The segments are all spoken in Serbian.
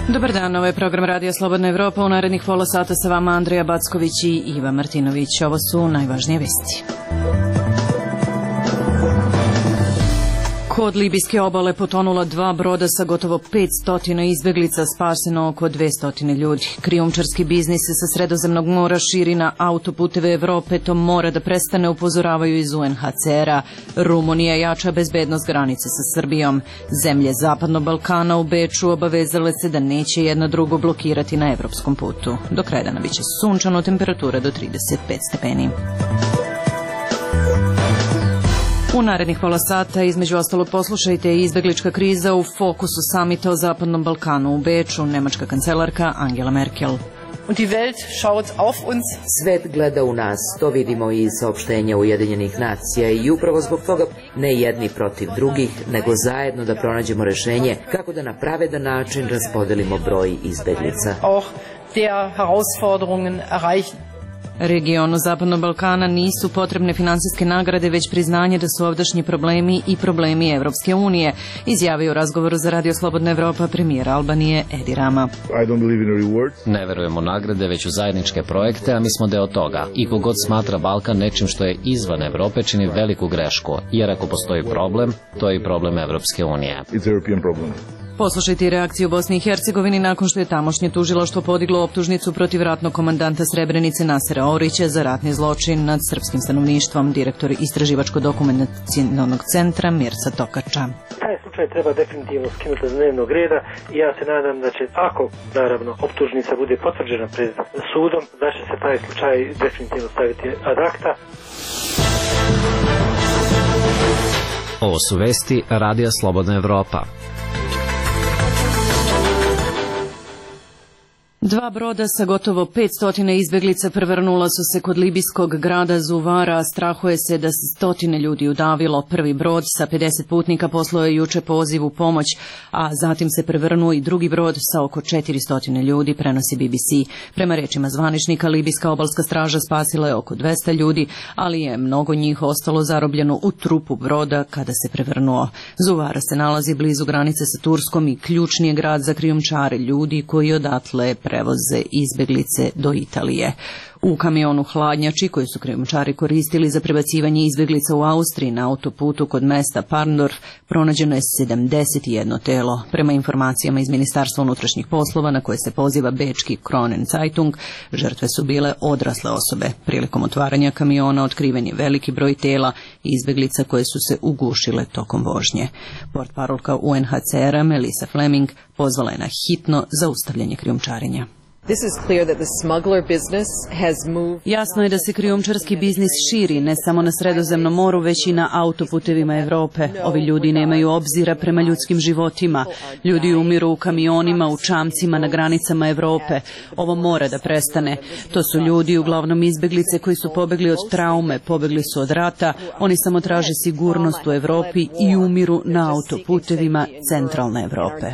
Dobar dan, ovo je program Radija Slobodna Evropa. U narednih pola sata sa vama Andreja Backović i Iva Martinović. Ovo su najvažnije vesti. Kod libijske obale potonula 2 broda sa gotovo 500 izbeglica, spaseno oko 200 ljudi. Krijumčarski biznis se sa Sredozemnog mora širi na autoputeve Evrope, to mora da prestane, upozoravaju iz UNHCR-a. Rumunija jača bezbednost granice sa Srbijom. Zemlje Zapadnog Balkana u Beču obavezale se da neće jedna drugo blokirati na evropskom putu. Do kraja dana biće sunčano, temperatura do 35 stepeni. U narednih pola sata, između ostalog, poslušajte izbeglička kriza u fokusu samita o Zapadnom Balkanu u Beču, nemačka kancelarka Angela Merkel. Svet gleda u nas, to vidimo iz saopštenja Ujedinjenih nacija i upravo zbog toga ne jedni protiv drugih, nego zajedno da pronađemo rešenje kako da na pravedan način raspodelimo broj izbeglica. Regionu Zapadnog Balkana nisu potrebne finansijske nagrade, već priznanje da su ovdašnji problemi i problemi Evropske unije, izjavio u razgovoru za Radio Slobodna Evropa premijer Albanije Edi Rama. Ne verujemo nagrade, već u zajedničke projekte, a mi smo deo toga. I kogod smatra Balkan nečim što je izvan Evrope čini veliku grešku, jer ako postoji problem, to je i problem Evropske unije. Poslušajte reakciju Bosne i Hercegovini nakon što je tamošnje tužilaštvo podiglo optužnicu protiv ratnog komandanta Srebrenice Nasera Orića za ratni zločin nad srpskim stanovništvom, direktor Istraživačko-dokumentacionog centra Mirsa Tokača. Taj slučaj treba definitivno skinuti s dnevnog reda i ja se nadam da će, ako naravno optužnica bude potvrđena pred sudom, da će se taj slučaj definitivno staviti ad acta. Ovo su vesti Radija Slobodna Evropa. 2 broda sa gotovo 500 izbeglica prevrnula su se kod libijskog grada Zuvara, a strahuje se da se 100 ljudi udavilo. Prvi brod sa 50 putnika poslao je juče poziv u pomoć, a zatim se prevrnuo i drugi brod sa oko 400 ljudi, prenosi BBC. Prema rečima zvaničnika, libijska obalska straža spasila je oko 200 ljudi, ali je mnogo njih ostalo zarobljeno u trupu broda kada se prevrnuo. Zuvara se nalazi blizu granice sa Turskom i ključni je grad za krijumčare ljudi koji odatle prevoze izbeglice do Italije. U kamionu hladnjači koji su krijumčari koristili za prebacivanje izbeglica u Austriji na autoputu kod mesta Parndorf pronađeno je 71 telo. Prema informacijama iz Ministarstva unutrašnjih poslova na koje se poziva bečki Kronen Zeitung, žrtve su bile odrasle osobe. Prilikom otvaranja kamiona otkriven je veliki broj tela izbeglica koje su se ugušile tokom vožnje. Portparolka UNHCR-a Melissa Fleming pozvala je na hitno zaustavljanje krijumčarenja. Jasno je da se krijumčarski biznis širi ne samo na Sredozemnom moru, već i na autoputevima Evrope. Ovi ljudi nemaju obzira prema ljudskim životima. Ljudi umiru u kamionima, u čamcima na granicama Evrope. Ovo mora da prestane. To su ljudi, uglavnom izbeglice, koji su pobegli od traume, pobegli su od rata. Oni samo traže sigurnost u Evropi i umiru na autoputevima centralne Evrope.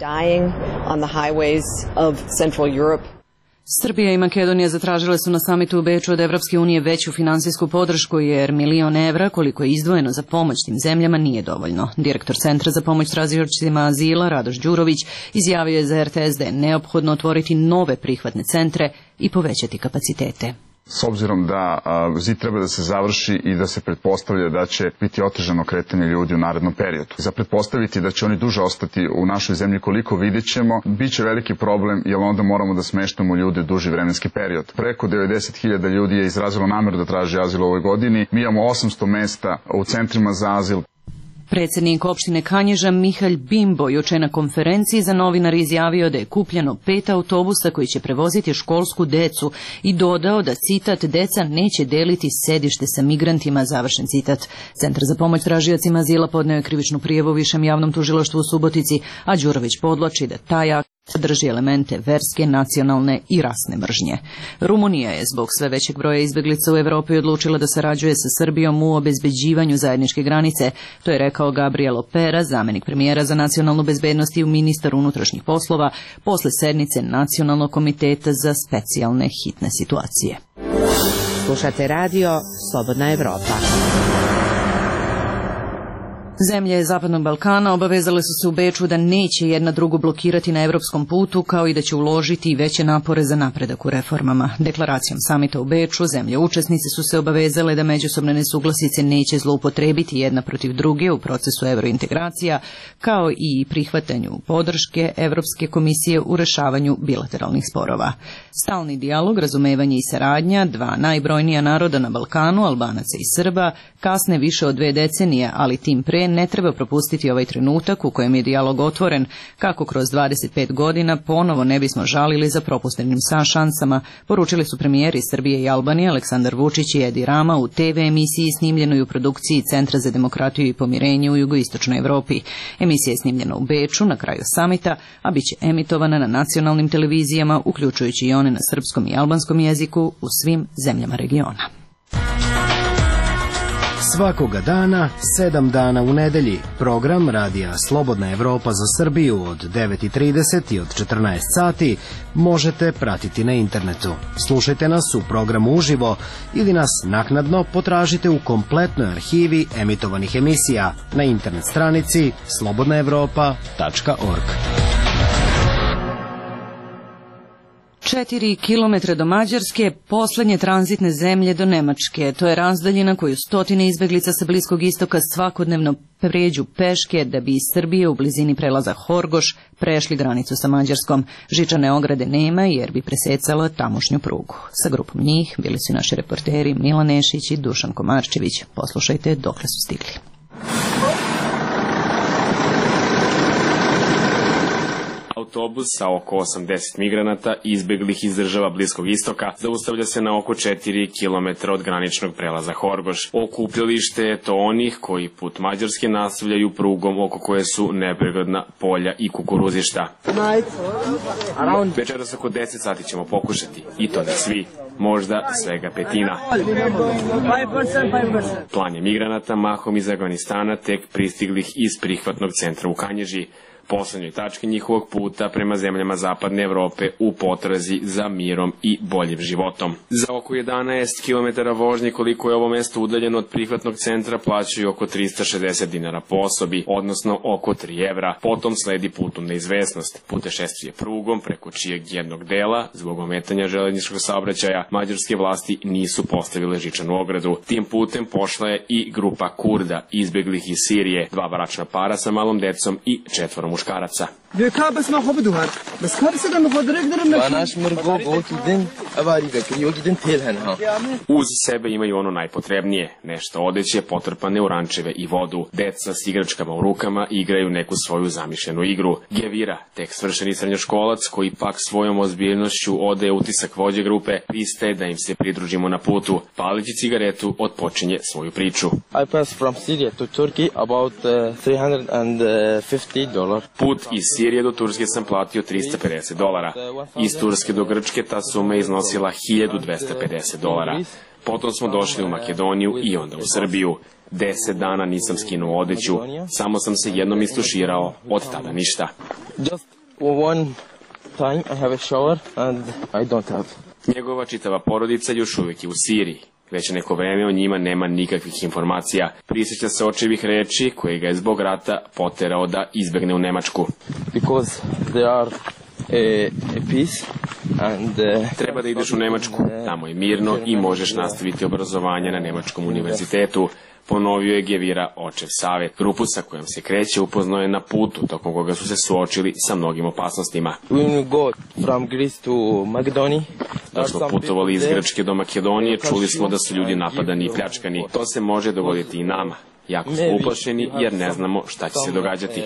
Srbija i Makedonija zatražile su na samitu u Beču od Evropske unije veću finansijsku podršku, jer $1.000.000 evra koliko je izdvojeno za pomoć tim zemljama nije dovoljno. Direktor Centra za pomoć tražiocima azila Radoš Đurović izjavio je za RTS da je neophodno otvoriti nove prihvatne centre i povećati kapacitete. S obzirom da zid treba da se završi i da se pretpostavlja da će biti otežano kretanje ljudi u narednom periodu. Za pretpostaviti da će oni duže ostati u našoj zemlji koliko vidjet ćemo, bit će veliki problem jer onda moramo da smeštamo ljude duži vremenski period. Preko 90.000 ljudi je izrazilo nameru da traži azil u ovoj godini. Mi imamo 800 mesta u centrima za azil. Predsjednik opštine Kanjiža Mihalj Bimbo juče na konferenciji za novinare izjavio da je kupljeno 5 autobusa koji će prevoziti školsku decu i dodao da, citat, deca neće deliti sedište sa migrantima, završen citat. Centar za pomoć tražiocima azila podneo je krivičnu prijavu Višem javnom tužilaštvu u Subotici, a Đurović podvlači da taj akt sadrži elemente verske, nacionalne i rasne mržnje. Rumunija je zbog sve većeg broja izbeglica u Evropi odlučila da sarađuje sa Srbijom u obezbeđivanju zajedničke granice. To je rekao Gabriel Opera, zamenik premijera za nacionalnu bezbednost i ministar unutrašnjih poslova, posle sednice Nacionalnog komiteta za specijalne hitne situacije. Slušate radio Slobodna Evropa. Zemlje Zapadnog Balkana obavezale su se u Beču da neće jedna drugu blokirati na evropskom putu, kao i da će uložiti veće napore za napredak u reformama. Deklaracijom samita u Beču zemlje učesnice su se obavezale da međusobne nesuglasice neće zloupotrebiti jedna protiv druge u procesu evrointegracija, kao i prihvatanju podrške Evropske komisije u rešavanju bilateralnih sporova. Stalni dijalog, razumevanje i saradnja dva najbrojnija naroda na Balkanu, Albanaca i Srba, kasne više od 2 decenije, ali tim pre ne treba propustiti ovaj trenutak u kojem je dijalog otvoren, kako kroz 25 godina ponovo ne bismo žalili za propuštenim šansama, poručili su premijeri Srbije i Albanije Aleksandar Vučić i Edi Rama u TV emisiji snimljenoj u produkciji Centra za demokratiju i pomirenje u jugoistočnoj Evropi. Emisija je snimljena u Beču na kraju samita, a bit će emitovana na nacionalnim televizijama, uključujući i one na srpskom i albanskom jeziku u svim zemljama regiona. Svakoga dana, 7 dana u nedelji, program Radija Slobodna Evropa za Srbiju od 9:30 i od 14 sati možete pratiti na internetu. Slušajte nas u programu uživo ili nas naknadno potražite u kompletnoj arhivi emitovanih emisija na internet stranici slobodnaevropa.org. 4 kilometra do Mađarske, poslednje tranzitne zemlje do Nemačke. To je razdaljina koju stotine izbeglica sa Bliskog istoka svakodnevno pređu peške da bi iz Srbije u blizini prelaza Horgoš prešli granicu sa Mađarskom. Žičane ograde nema jer bi presecala tamošnju prugu. Sa grupom njih bili su naši reporteri Milan Nešić i Dušan Komarčević. Poslušajte dokle su stigli. Autobus sa oko 80 migranata izbeglih iz država Bliskog istoka zaustavlja se na oko 4 km od graničnog prelaza Horgoš. Okupljalište je to onih koji put Mađarske nastavljaju prugom oko koje su nepregledna polja i kukuruzišta. Večeras oko 10 sati ćemo pokušati, i to ne svi, možda svega petina. Plan je migranata, mahom iz Afganistana, tek pristiglih iz prihvatnog centra u Kanjiži, poslednjoj tački njihovog puta prema zemljama Zapadne Evrope u potrazi za mirom i boljim životom. Za oko 11 km vožnje koliko je ovo mesto udaljeno od prihvatnog centra plaćaju oko 360 dinara po osobi, odnosno oko 3 evra. Potom sledi put u neizvesnost, putešestvije prugom preko čijeg jednog dela, zbog ometanja železničkog saobraćaja, mađarske vlasti nisu postavile žičanu ogradu. Tim putem pošla je i grupa Kurda, izbeglih iz Sirije, 2 bračna para sa malom decom i 4 muškaraca. Uz sebe imaju ono najpotrebnije, nešto odeće potrpane u rančeve i vodu. Deca s igračkama u rukama igraju neku svoju zamišljenu igru. Gevira, tek svršeni srednjoškolac koji pak svojom ozbiljnošću odaje utisak vođe grupe, pristaje da im se pridružimo na putu. Palići cigaretu odpočinje svoju priču. I passed from Syria to Turkey about $350. Put iz Sirije do Turske sam platio $350. Iz Turske do Grčke ta suma je iznosila $1250. Potom smo došli u Makedoniju i onda u Srbiju. 10 dana nisam skinuo odeću, samo sam se jednom istuširao, od tada ništa. Just one time I have a shower and I don't have. Njegova čitava porodica još uvijek je u Siriji. Već neko vreme o njima nema nikakvih informacija. Prisjeća se očevih reči koje ga je zbog rata poterao da izbegne u Nemačku. Because there are a peace and treba da ideš u Nemačku, tamo je mirno i možeš nastaviti obrazovanje na Nemačkom univerzitetu. Ponovio je Gevira očev savjet. Grupu sa kojom se kreće upoznao je na putu, tokom koga su se suočili sa mnogim opasnostima. Dok smo putovali iz Grčke do Makedonije, čuli smo da su ljudi napadani i pljačkani. To se može dogoditi i nama. Jako smo uplašeni jer ne znamo šta će se događati.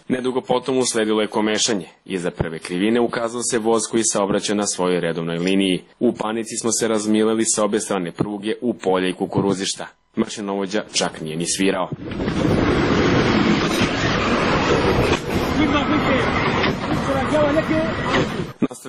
Nedugo potom usledilo je komešanje. Iza prve krivine ukazao se voz koji saobraća na svojoj redovnoj liniji. U panici smo se razmileli sa obe strane pruge u polje i kukuruzišta. Mašinovođa čak nije ni svirao.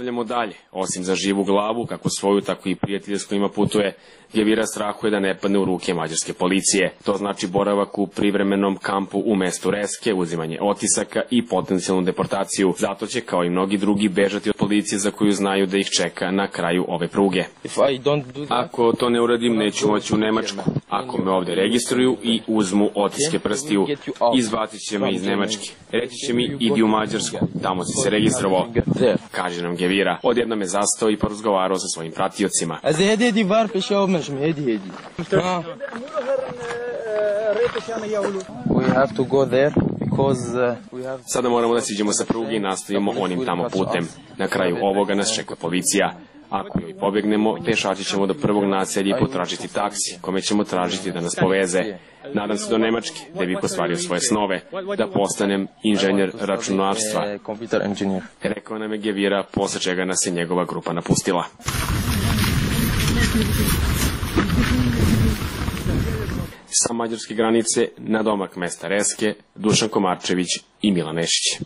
Nastavljamo dalje. Osim za živu glavu, kako svoju, tako i prijateljsku ima putuje, Gevira strahuje da ne padne u ruke mađarske policije. To znači boravak u privremenom kampu u mestu Reske, uzimanje otisaka i potencijalnu deportaciju. Zato će, kao i mnogi drugi, bežati od policije za koju znaju da ih čeka na kraju ove pruge. Ako to ne uradim, neću moći u Nemačku. Ako me ovde registruju i uzmu otiske prstiju, izbacit će me iz Nemačke. Reći će mi, idi u Mađarsku, tamo si se registrovao, kaže nam Gevira. Odjednom je zastao i porazgovarao sa svojim pratiocima. Sada moramo da siđemo sa pruge i nastavimo onim tamo putem. Na kraju ovoga nas čeka policija. Ako joj pobegnemo, pešači ćemo do prvog naselja i potražiti taksi, kome ćemo tražiti da nas poveze. Nadam se do Nemačke, da bih ostvario svoje snove, da postanem inženjer računarstva. Rekao nam je Gevira, posle čega nas je njegova grupa napustila. Sa mađarske granice, na domak mesta Reske, Dušan Komarčević i Milan Nešić.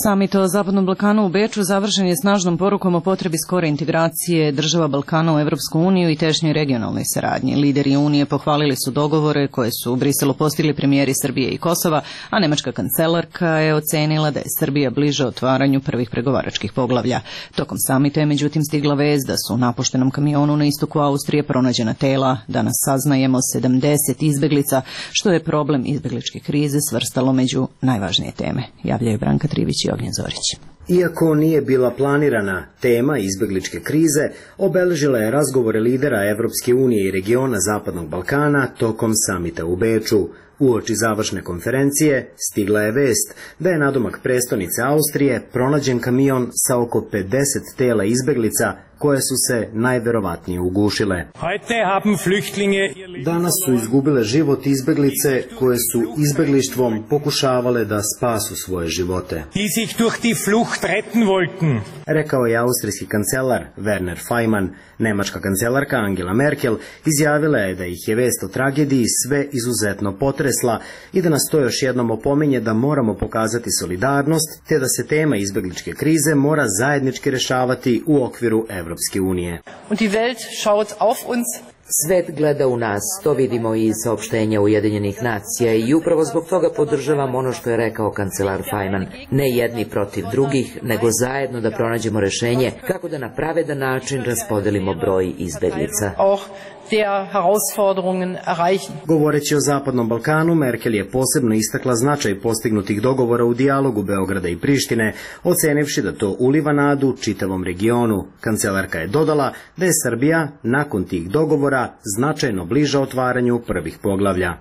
Samit o Zapadnom Balkanu u Beču završen je snažnom porukom o potrebi skore integracije država Balkana u Evropsku uniju i tešnjoj regionalnoj saradnji. Lideri Unije pohvalili su dogovore koje su u Briselu postigli premijeri Srbije i Kosova, a nemačka kancelarka je ocenila da je Srbija bliže otvaranju prvih pregovaračkih poglavlja. Tokom samita je međutim stigla vest da su u napuštenom kamionu na istoku Austrije pronađena tela. Danas saznajemo 70 izbeglica, što je problem izbegličke krize svrstalo među najvažnije teme. Javljaju Branka Trivić i Ognjen Zorić. Iako nije bila planirana, tema izbegličke krize obeležila je razgovore lidera Evropske unije i regiona Zapadnog Balkana tokom samita u Beču. Uoči završne konferencije stigla je vest da je nadomak prestonice Austrije pronađen kamion sa oko 50 tela izbeglica koje su se najverovatnije ugušile. Danas su izgubile život izbeglice koje su izbeglištvom pokušavale da spasu svoje živote. Rekao je austrijski kancelar Werner Faymann. Nemačka kancelarka Angela Merkel izjavila je da ih je vest o tragediji sve izuzetno potresla i da nas to još jednom opominje da moramo pokazati solidarnost te da se tema izbegličke krize mora zajednički rešavati u okviru Evropske unije. Svet gleda u nas, to vidimo i iz saopštenja Ujedinjenih nacija i upravo zbog toga podržavam ono što je rekao kancelar Faymann. Ne jedni protiv drugih, nego zajedno da pronađemo rešenje kako da na pravedan način raspodelimo broj izbeglica. Govoreći o Zapadnom Balkanu, Merkel je posebno istakla značaj postignutih dogovora u dijalogu Beograda i Prištine, ocenivši da to uliva nadu čitavom regionu. Kancelarka je dodala da je Srbija nakon tih dogovora značajno bliža otvaranju prvih poglavlja.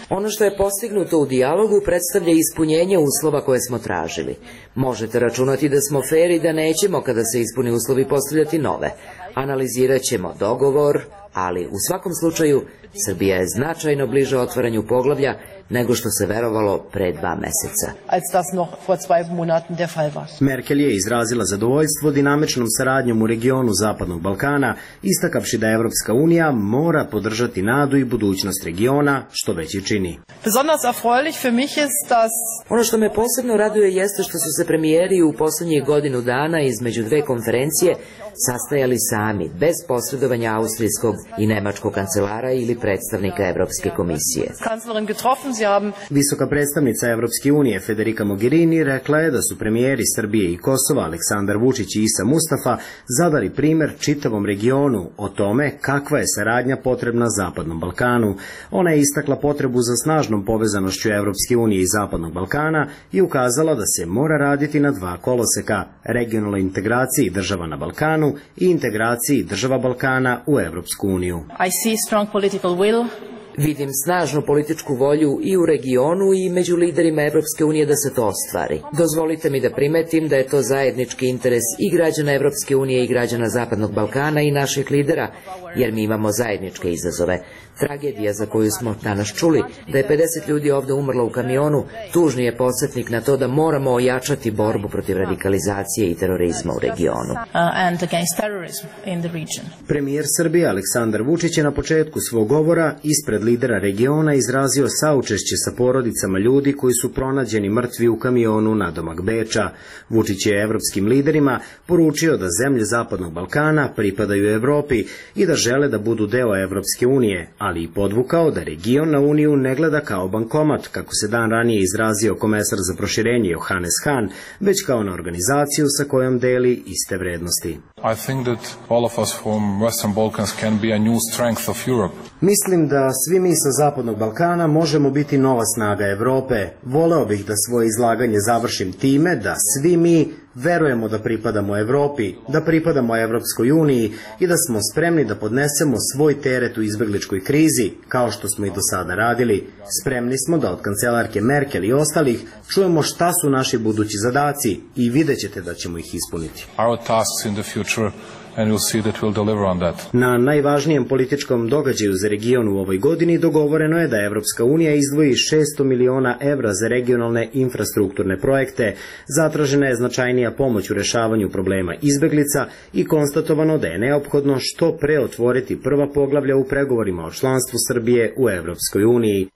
Ono što je postignuto u dijalogu predstavlja ispunjenje uslova koje smo tražili. Možete računati da smo fer i da nećemo, kada se ispuni uslovi, postavljati nove. Analizirat ćemo dogovor, ali u svakom slučaju Srbija je značajno bliže otvaranju poglavlja nego što se verovalo pre 2 meseca. Merkel je izrazila zadovoljstvo dinamičnom saradnjom u regionu Zapadnog Balkana, istakavši da Evropska unija mora podržati nadu i budućnost regiona, što već i čini. Ono što me posebno raduje jeste što su se premijeri u poslednjih godinu dana između dve konferencije sastajali sami, bez posredovanja austrijskog i nemačkog kancelara ili predstavnika Evropske komisije. Visoka predstavnica Evropske unije Federica Mogherini rekla je da su premijeri Srbije i Kosova Aleksandar Vučić i Isa Mustafa zadali primer čitavom regionu o tome kakva je saradnja potrebna Zapadnom Balkanu. Ona je istakla potrebu za snažnom povezanošću Evropske unije i Zapadnog Balkana i ukazala da se mora raditi na 2 koloseka, regionalnoj integraciji država na Balkanu i integraciji država Balkana u Evropsku uniju. Vidim snažnu političku volju i u regionu i među liderima Evropske unije da se to ostvari. Dozvolite mi da primetim da je to zajednički interes i građana Evropske unije i građana Zapadnog Balkana i naših lidera, jer mi imamo zajedničke izazove. Tragedija za koju smo danas čuli, da je 50 ljudi ovde umrlo u kamionu, tužni je podsjetnik na to da moramo ojačati borbu protiv radikalizacije i terorizma u regionu. Premijer Srbije Aleksandar Vučić je na početku svog govora ispred lidera regiona izrazio saučešće sa porodicama ljudi koji su pronađeni mrtvi u kamionu nadomak Beča. Vučić je evropskim liderima poručio da zemlje Zapadnog Balkana pripadaju Evropi i da žele da budu deo Evropske unije, ali i podvukao da region na Uniju ne gleda kao bankomat, kako se dan ranije izrazio komesar za proširenje Johannes Hahn, već kao na organizaciju sa kojom deli iste vrednosti. Mislim da svi mi sa Zapadnog Balkana možemo biti nova snaga Evrope. Voleo bih da svoje izlaganje završim time da svi mi verujemo da pripadamo Evropi, da pripadamo Evropskoj uniji i da smo spremni da podnesemo svoj teret u izbegličkoj krizi, kao što smo i do sada radili. Spremni smo da od kancelarke Merkel i ostalih čujemo šta su naši budući zadaci i vidjet ćete da ćemo ih ispuniti. Na najvažnijem političkom događaju za region u ovoj godini dogovoreno je da Evropska unija izdvoji 600 miliona evra za regionalne infrastrukturne projekte, zatražena je značajnija pomoć u rešavanju problema izbeglica i konstatovano da je neophodno što pre otvoriti prva poglavlja u pregovorima o članstvu Srbije u Evropskoj uniji.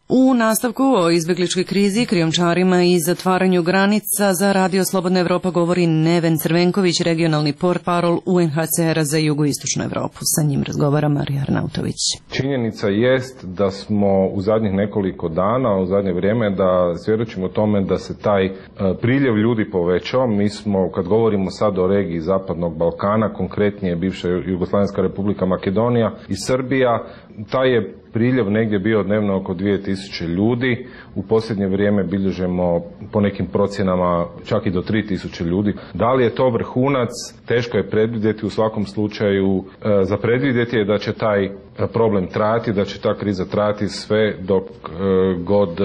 U nastavku o izbegličkoj krizi, krijumčarima i zatvaranju granica za Radio Slobodna Evropa govori Neven Crvenković, regionalni portparol UNHCR-a za jugoistočnu Evropu. Sa njim razgovara Marija Arnautović. Činjenica jest da smo u zadnjih nekoliko dana, u zadnje vrijeme, da svjedočimo tome da se taj priljev ljudi povećao. Mi smo, kad govorimo sad o regiji Zapadnog Balkana, konkretnije bivša Jugoslavenska republika Makedonija i Srbija, taj je priljev negdje bio dnevno oko 2000 ljudi. U posljednje vrijeme bilježemo po nekim procjenama čak i do 3000 ljudi. Da li je to vrhunac? Teško je predvidjeti, u svakom slučaju za predvidjeti je da će taj problem trajati, da će ta kriza trajati sve dok god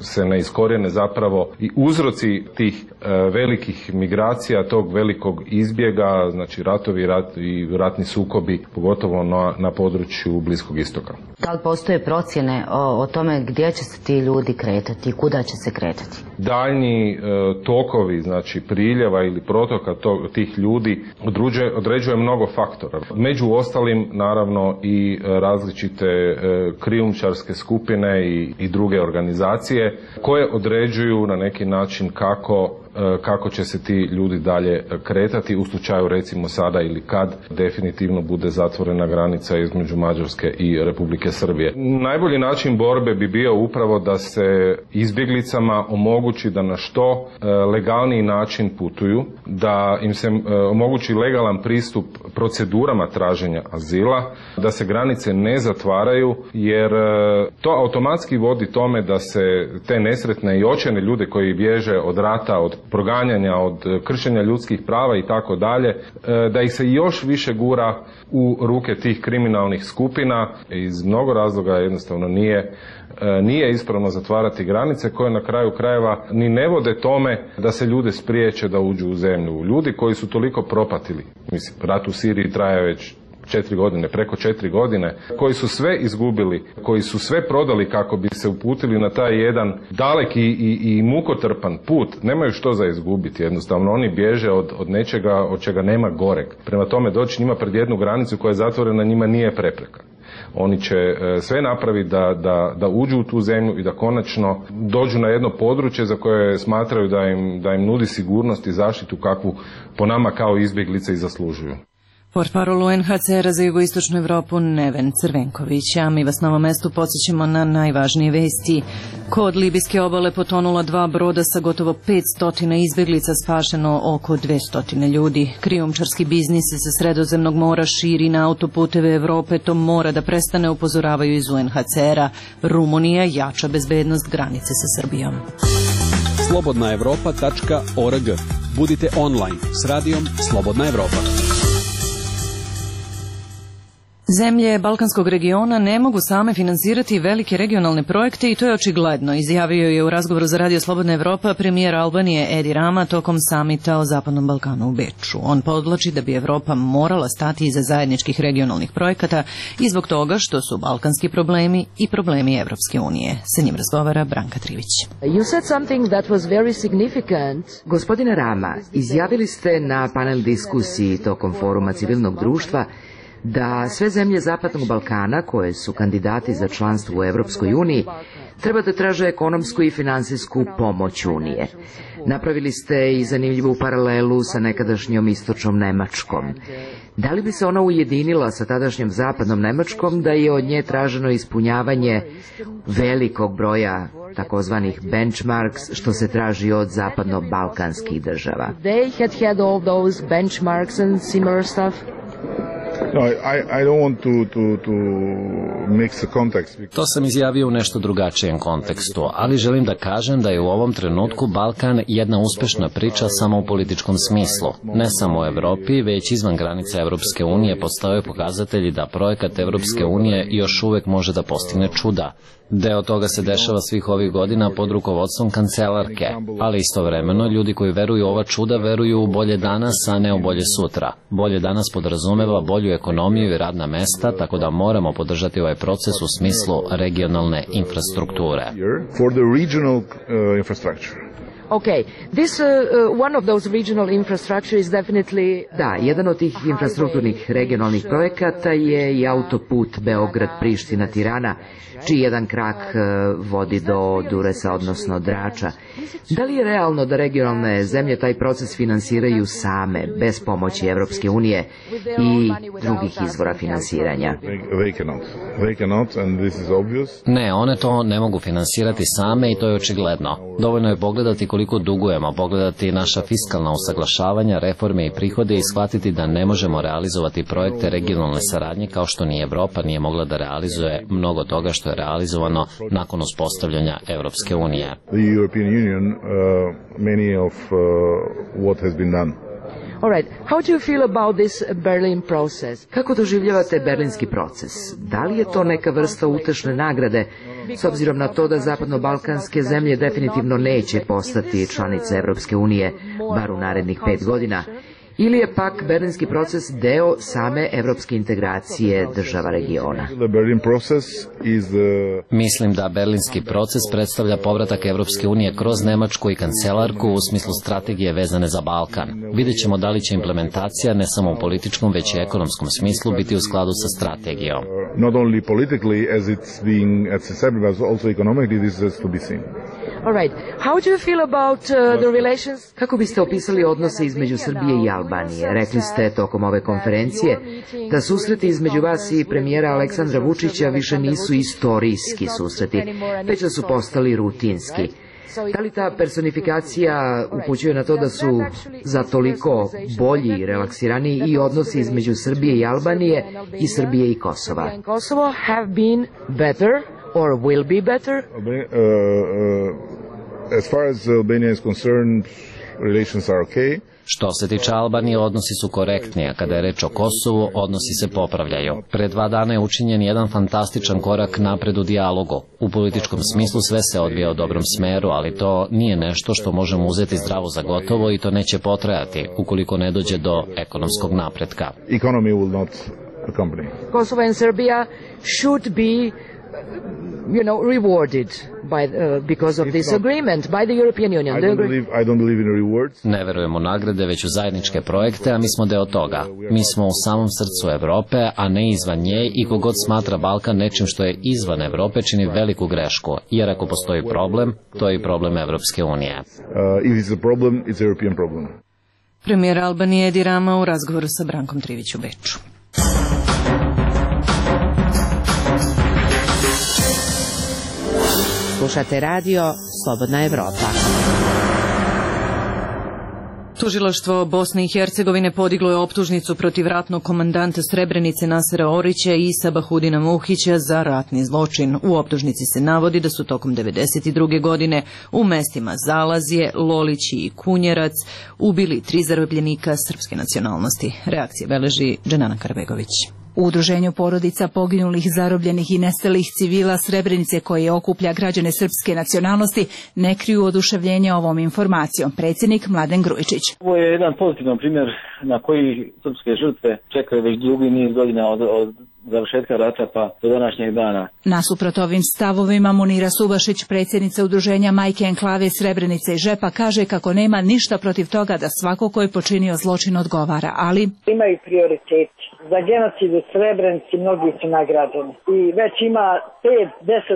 se ne iskorijene zapravo i uzroci tih velikih migracija, tog velikog izbjega, znači ratovi i ratni sukobi, pogotovo na području Bliskog istoka. Da li postoje procjene o tome gdje će se ti ljudi kretati i kuda će se kretati? Daljnji tokovi, znači priljeva ili protoka tih ljudi određuje mnogo faktora. Među ostalim, naravno, i različite krijumčarske skupine i druge organizacije koje određuju na neki način kako će se ti ljudi dalje kretati u slučaju, recimo sada ili kad definitivno bude zatvorena granica između Mađarske i Republike Srbije. Najbolji način borbe bi bio upravo da se izbjeglicama omogući da na što legalniji način putuju, da im se omogući legalan pristup procedurama traženja azila, da se granice ne zatvaraju, jer to automatski vodi tome da se te nesretne i očajne ljude koji bježe od rata, od proganjanja, od kršenja ljudskih prava i tako dalje, da ih se još više gura u ruke tih kriminalnih skupina. Iz mnogo razloga jednostavno nije ispravno zatvarati granice koje na kraju krajeva ni ne vode tome da se ljude spriječe da uđu u zemlju. Ljudi koji su toliko propatili, mislim, rat u Siriji traje već 4 godine, preko 4 godine, koji su sve izgubili, koji su sve prodali kako bi se uputili na taj jedan daleki i mukotrpan put, nemaju što za izgubiti, jednostavno oni bježe od nečega od čega nema goreg. Prema tome doći njima pred jednu granicu koja je zatvorena njima nije prepreka. Oni će sve napraviti da uđu u tu zemlju i da konačno dođu na jedno područje za koje smatraju da im nudi sigurnost i zaštitu kakvu po nama kao izbjeglice i zaslužuju. Portparol UNHCR-a za jugoistočnu Evropu Neven Crvenković, a mi vas na ovom mestu podsjećamo na najvažnije vesti. Kod libijske obale potonula 2 broda sa gotovo 500 izbjeglica, spašeno oko 200 ljudi. Krijumčarski biznis sa Sredozemnog mora širi na autoputeve Evrope, to mora da prestane, upozoravaju iz UNHCR-a. Rumunija jača bezbednost granice sa Srbijom. slobodnaevropa.org. Budite online s radijom Slobodna Evropa. Zemlje Balkanskog regiona ne mogu same finansirati velike regionalne projekte i to je očigledno, izjavio je u razgovoru za Radio Slobodna Evropa premijer Albanije Edi Rama tokom samita o Zapadnom Balkanu u Beču. On podvlači da bi Evropa morala stati iza zajedničkih regionalnih projekata i zbog toga što su balkanski problemi i problemi Evropske unije. Sa njim razgovara Branka Trivić. Gospodine Rama, izjavili ste na panel diskusiji tokom foruma civilnog društva da sve zemlje Zapadnog Balkana koje su kandidati za članstvo u Evropskoj uniji treba da traže ekonomsku i finansijsku pomoć Unije. Napravili ste i zanimljivu paralelu sa nekadašnjom istočnom Nemačkom. Da li bi se ona ujedinila sa tadašnjom zapadnom Nemačkom da je od nje traženo ispunjavanje velikog broja takozvanih benchmarks što se traži od zapadno-balkanskih država? To sam izjavio u nešto drugačijem kontekstu, ali želim da kažem da je u ovom trenutku Balkan jedna uspešna priča samo u političkom smislu. Ne samo u Evropi, već izvan granica Evropske unije postoje pokazatelji da projekat Evropske unije još uvek može da postigne čuda. Deo toga se dešava svih ovih godina pod rukovodstvom kancelarke, ali istovremeno ljudi koji veruju u ova čuda veruju u bolje danas, a ne u bolje sutra. Bolje danas podrazumeva bolju ekonomiju i radna mesta, tako da moramo podržati ovaj proces u smislu regionalne infrastrukture. Da, jedan od tih infrastrukturnih regionalnih projekata je i autoput Beograd-Priština-Tirana, čiji jedan krak vodi do Duresa, odnosno Drača. Da li je realno da regionalne zemlje taj proces finansiraju same, bez pomoći Evropske unije i drugih izvora finansiranja? Ne, one to ne mogu finansirati same i to je očigledno. Dovoljno je pogledati koliko dugujemo, pogledati naša fiskalna usaglašavanja, reforme i prihode i shvatiti da ne možemo realizovati projekte regionalne saradnje kao što ni Evropa nije mogla da realizuje mnogo toga što je realizovano nakon uspostavljanja Evropske unije. Kako doživljavate berlinski proces? Da li je to neka vrsta utešne nagrade, s obzirom na to da zapadno-balkanske zemlje definitivno neće postati članice Evropske unije, bar u narednih 5 godina? Ili je pak berlinski proces deo same evropske integracije država regiona? Mislim da berlinski proces predstavlja povratak Evropske unije kroz Nemačku i kancelarku u smislu strategije vezane za Balkan. Vidjet ćemo da li će implementacija ne samo u političkom, već i ekonomskom smislu biti u skladu sa strategijom. Kako biste opisali odnose između Srbije i Albanije? Rekli ste tokom ove konferencije da susreti između vas i premijera Aleksandra Vučića više nisu istorijski susreti, već da su postali rutinski. Da li ta personifikacija upućuje na to da su za toliko bolji i relaksiraniji i odnosi između Srbije i Albanije i Srbije i Kosova? Or will be better? As far as Albania is concerned, relations are okay. Što se tiče Albanije, odnosi su korektni, a kada je reč o Kosovu, odnosi se popravljaju. Pre 2 dana je učinjen jedan fantastičan korak napred u dijalogu. U političkom smislu sve se odvija u dobrom smeru, ali to nije nešto što možemo uzeti zdravo za gotovo i to neće potrajati ukoliko ne dođe do ekonomskog napretka. Economy will not accompany. Kosovo and Serbia should be rewarded because of this agreement by the European Union. I don't believe in rewards. Ne verujemo nagrade, već u zajedničke projekte, a mi smo deo toga. Mi smo u samom srcu Evrope, a ne izvan nje i kogod smatra Balkan nečim što je izvan Evrope čini veliku grešku, jer ako postoji problem, to je i problem Evropske unije. If it's a problem, it's a European problem. Premijer Albanije Edi Rama u razgovoru sa Brankom Trivić u Beču. Slušate radio Slobodna Evropa. Tužilaštvo Bosne i Hercegovine podiglo je optužnicu protiv ratnog komandanta Srebrenice Nasera Orića i Isa Bahudina Muhića za ratni zločin. U optužnici se navodi da su tokom 1992. godine u mestima Zalazje, Lolići i Kunjerac ubili 3 zarobljenika srpske nacionalnosti. Reakcije beleži Dženana Karbegović. U udruženju porodica poginulih, zarobljenih i nestalih civila Srebrenice, koje okuplja građane srpske nacionalnosti, ne kriju oduševljenje ovom informacijom. Predsjednik Mladen Grujičić. Ovo je jedan pozitivan primjer na koji srpske žrtve čekaju već dugi niz godina od završetka rata pa do današnjeg dana. Nasuprot ovim stavovima, Munira Subašić, predsjednica udruženja Majke Enklave Srebrenice i Žepa, kaže kako nema ništa protiv toga da svako ko je počinio zločin odgovara, ali imaju prioritet. Za genocid u Srebrenici mnogi su nagrađeni. I već ima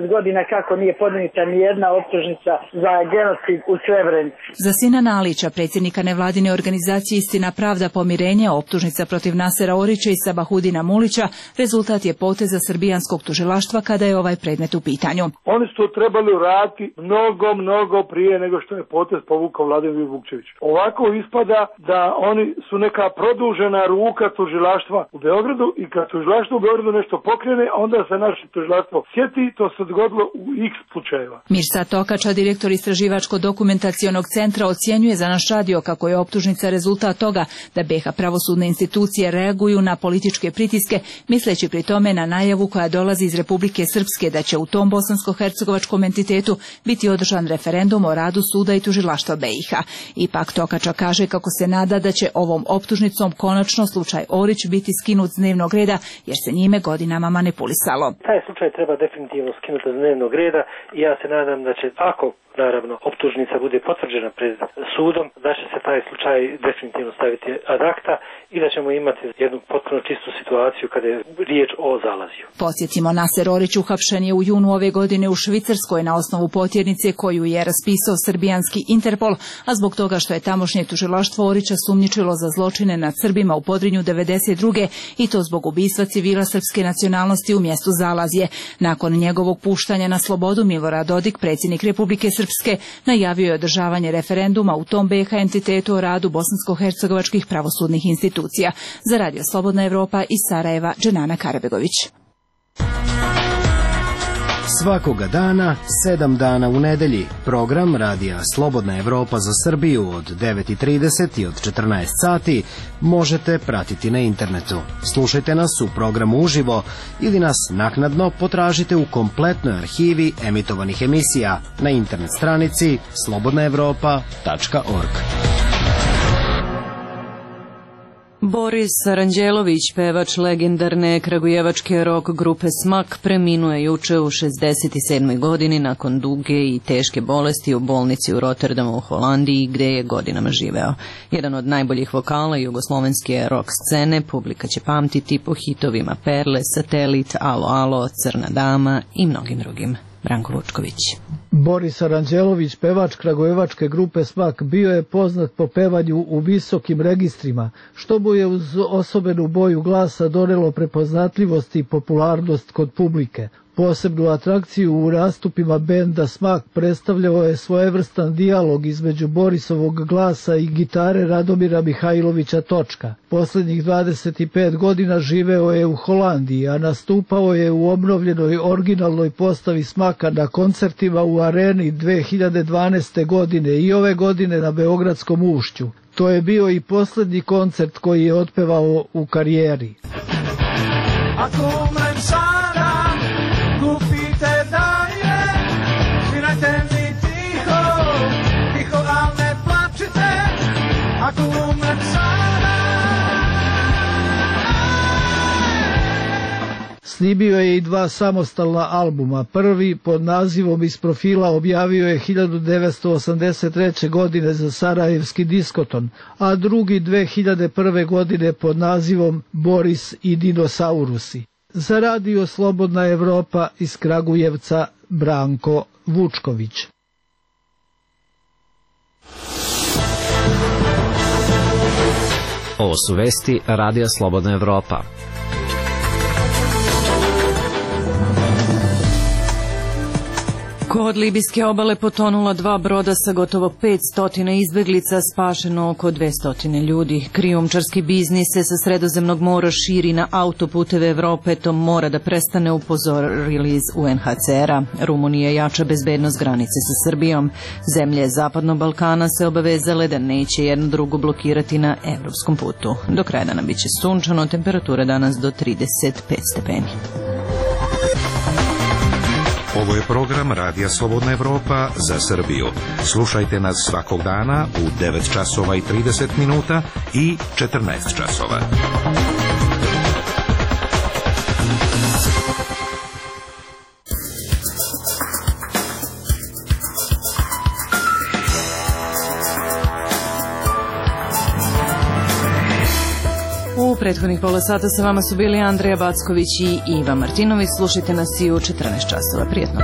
5-10 godina kako nije podnijeta ni jedna optužnica za genocid u Srebrenici. Za Sina Nalića, predsjednika nevladine organizacije Istina, pravda, pomirenje, optužnica protiv Nasera Orića i Sabahudina Mulića rezultat je poteza srbijanskog tužilaštva kada je ovaj predmet u pitanju. Oni su to trebali uraditi mnogo prije nego što je potez povukao Vladimir Vukčević. Ovako ispada da oni su neka produžena ruka tužilaštva u Beogradu i kad tužilaštvo u Beogradu nešto pokrene, onda se naše tužilaštvo sjeti, to se dogodilo u x slučajeva. Mirsad Tokača, direktor Istraživačko-dokumentacionog centra, ocjenjuje za naš radio kako je optužnica rezultat toga da BiH pravosudne institucije reaguju na političke pritiske, misleći pri tome na najavu koja dolazi iz Republike Srpske da će u tom bosansko-hercegovačkom entitetu biti održan referendum o radu suda i tužilaštva BiH. Ipak Tokača kaže kako se nada da će ovom optužnicom konačno slučaj Orić biti skinut s dnevnog reda, jer se njime godinama manipulisalo. Taj slučaj treba definitivno skinuti s dnevnog reda i ja se nadam da će, ako naravno optužnica bude potvrđena pred sudom, da će se taj slučaj definitivno staviti ad acta i da ćemo imati jednu potpuno čistu situaciju kada je riječ o Zalaziju. Podsjetimo, Naser Orić uhapšen je u junu ove godine u Švicarskoj na osnovu potjernice koju je raspisao srbijanski Interpol, a zbog toga što je tamošnje tužilaštvo Orića sumnjičilo za zločine nad Srbima u Podrinju 92. i to zbog ubistva civila srpske nacionalnosti u mjestu Zalazje. Nakon njegovog puštanja na slobodu, Milorad Dodik, predsjednik Republike Srpske, najavio je održavanje referenduma u tom BiH entitetu o radu bosansko-hercegovačkih pravosudnih institucija. Za Radio Slobodna Evropa iz Sarajeva, Dženana Karabegović. Svakoga dana, 7 dana u nedelji, program Radija Slobodna Evropa za Srbiju od 9:30 i od 14 sati možete pratiti na internetu. Slušajte nas u programu uživo ili nas naknadno potražite u kompletnoj arhivi emitovanih emisija na internet stranici slobodnaevropa.org. Boris Aranđelović, pevač legendarne kragujevačke rock grupe Smak, preminuo je juče u 67. godini nakon duge i teške bolesti u bolnici u Rotterdamu u Holandiji, gde je godinama živeo. Jedan od najboljih vokala jugoslovenske rock scene, publika će pamtiti po hitovima Perle, Satelit, Alo Alo, Crna dama i mnogim drugim. Branko Vučković. Boris Aranđelović, pevač kragujevačke grupe Smak, bio je poznat po pevanju u visokim registrima, što mu je uz osobenu boju glasa donelo prepoznatljivost i popularnost kod publike. Posebnu atrakciju u nastupima benda Smak predstavljao je svojevrstan dijalog između Borisovog glasa i gitare Radomira Mihajlovića Točka. Posljednjih 25 godina živeo je u Holandiji, a nastupao je u obnovljenoj originalnoj postavi Smaka na koncertima u Areni 2012. godine i ove godine na Beogradskom ušću. To je bio i posljednji koncert koji je otpevao u karijeri. Kupite dalje, svirajte mi tiho, tiho, al ne plačite, ako umrem sada. Snimio je i 2 samostalna albuma. Prvi pod nazivom Iz profila objavio je 1983. godine za Sarajevski diskoton, a drugi 2001. godine pod nazivom Boris i dinosaurusi. Za Radio Slobodna Evropa iz Kragujevca, Branko Vučković. Ovo su vesti Radija Slobodna Evropa. Kod libijske obale potonula 2 broda sa gotovo 500 izbeglica, spašeno oko 200 ljudi. Krijumčarski biznis se sa Sredozemnog mora širi na autoputeve Evrope, to mora da prestane, upozorili iz UNHCR-a. Rumunija jača bezbednost granice sa Srbijom. Zemlje Zapadnog Balkana se obavezale da neće jednu drugu blokirati na evropskom putu. Do kraja dana biće sunčano, temperatura danas do 35 stepeni. Ovo je program Radija Slobodna Evropa za Srbiju. Slušajte nas svakog dana u 9 časova i 30 minuta i 14 časova. U prethodnih pola sata sa vama su bili Andreja Backović i Iva Martinović. Slušajte nas i u 14 časova. Prijetno.